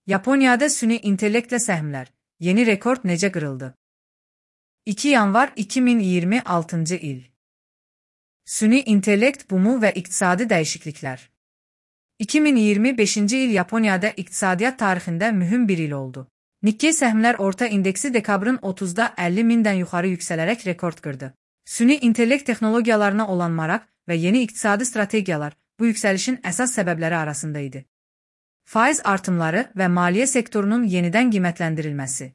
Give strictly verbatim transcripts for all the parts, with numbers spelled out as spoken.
Yaponiyada süni intellektlə səhmlər. Yeni rekord necə qırıldı? iki yanvar iki min iyirmi altıncı il. Süni intellekt bumu və iqtisadi dəyişikliklər. iki min iyirmi beşinci il Yaponiyada iqtisadiyyat tarixində mühüm bir il oldu. Nikkei səhmlər orta indeksi dekabrın otuzda əlli mindən yuxarı yüksələrək rekord qırdı. Süni intellekt texnologiyalarına olan maraq və yeni iqtisadi strategiyalar bu yüksəlişin əsas səbəbləri arasında idi. Faiz artımları və maliyyə sektorunun yenidən qiymətləndirilməsi.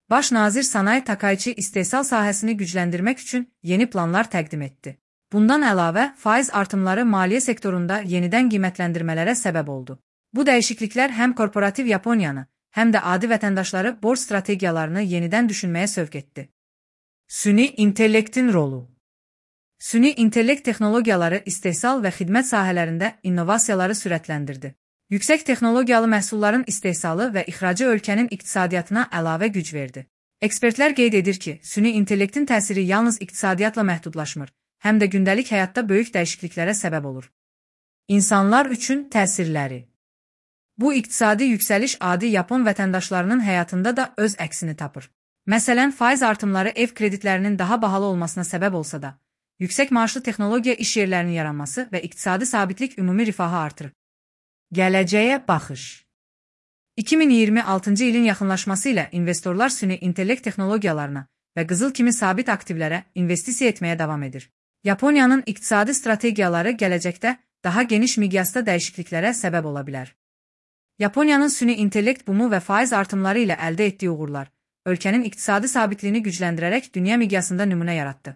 Baş nazir Sanae Takaichi istehsal sahəsini gücləndirmək üçün yeni planlar təqdim etdi. Bundan əlavə, faiz artımları maliyyə sektorunda yenidən qiymətləndirmələrə səbəb oldu. Bu dəyişikliklər həm korporativ Yaponiyanı, həm də adi vətəndaşları borc strategiyalarını yenidən düşünməyə sövq etdi. Süni intellektin rolu. Süni intellekt texnologiyaları istehsal və xidmət sahələrində innovasiyaları sürətləndirdi. Yüksək texnologiyalı məhsulların istehsalı və ixracı ölkənin iqtisadiyyatına əlavə güc verdi. Ekspertlər qeyd edir ki, süni intellektin təsiri yalnız iqtisadiyyatla məhdudlaşmır, həm də gündəlik həyatda böyük dəyişikliklərə səbəb olur. İnsanlar üçün təsirləri. Bu iqtisadi yüksəliş adi Yapon vətəndaşlarının həyatında da öz əksini tapır. Məsələn, faiz artımları ev kreditlərinin daha bahalı olmasına səbəb olsa da, yüksək maaşlı texnologiya iş yerlərinin yaranması və iqtisadi sabitlik ümumi rifahı artırır. Gələcəyə baxış. iki min iyirmi altıncı ilin yaxınlaşması ilə investorlar süni intellekt texnologiyalarına və qızıl kimi sabit aktivlərə investisiya etməyə davam edir. Yaponiyanın iqtisadi strategiyaları gələcəkdə daha geniş miqyasda dəyişikliklərə səbəb ola bilər. Yaponiyanın süni intellekt bumu və faiz artımları ilə əldə etdiyi uğurlar, ölkənin iqtisadi sabitliyini gücləndirərək dünya miqyasında nümunə yaratdı.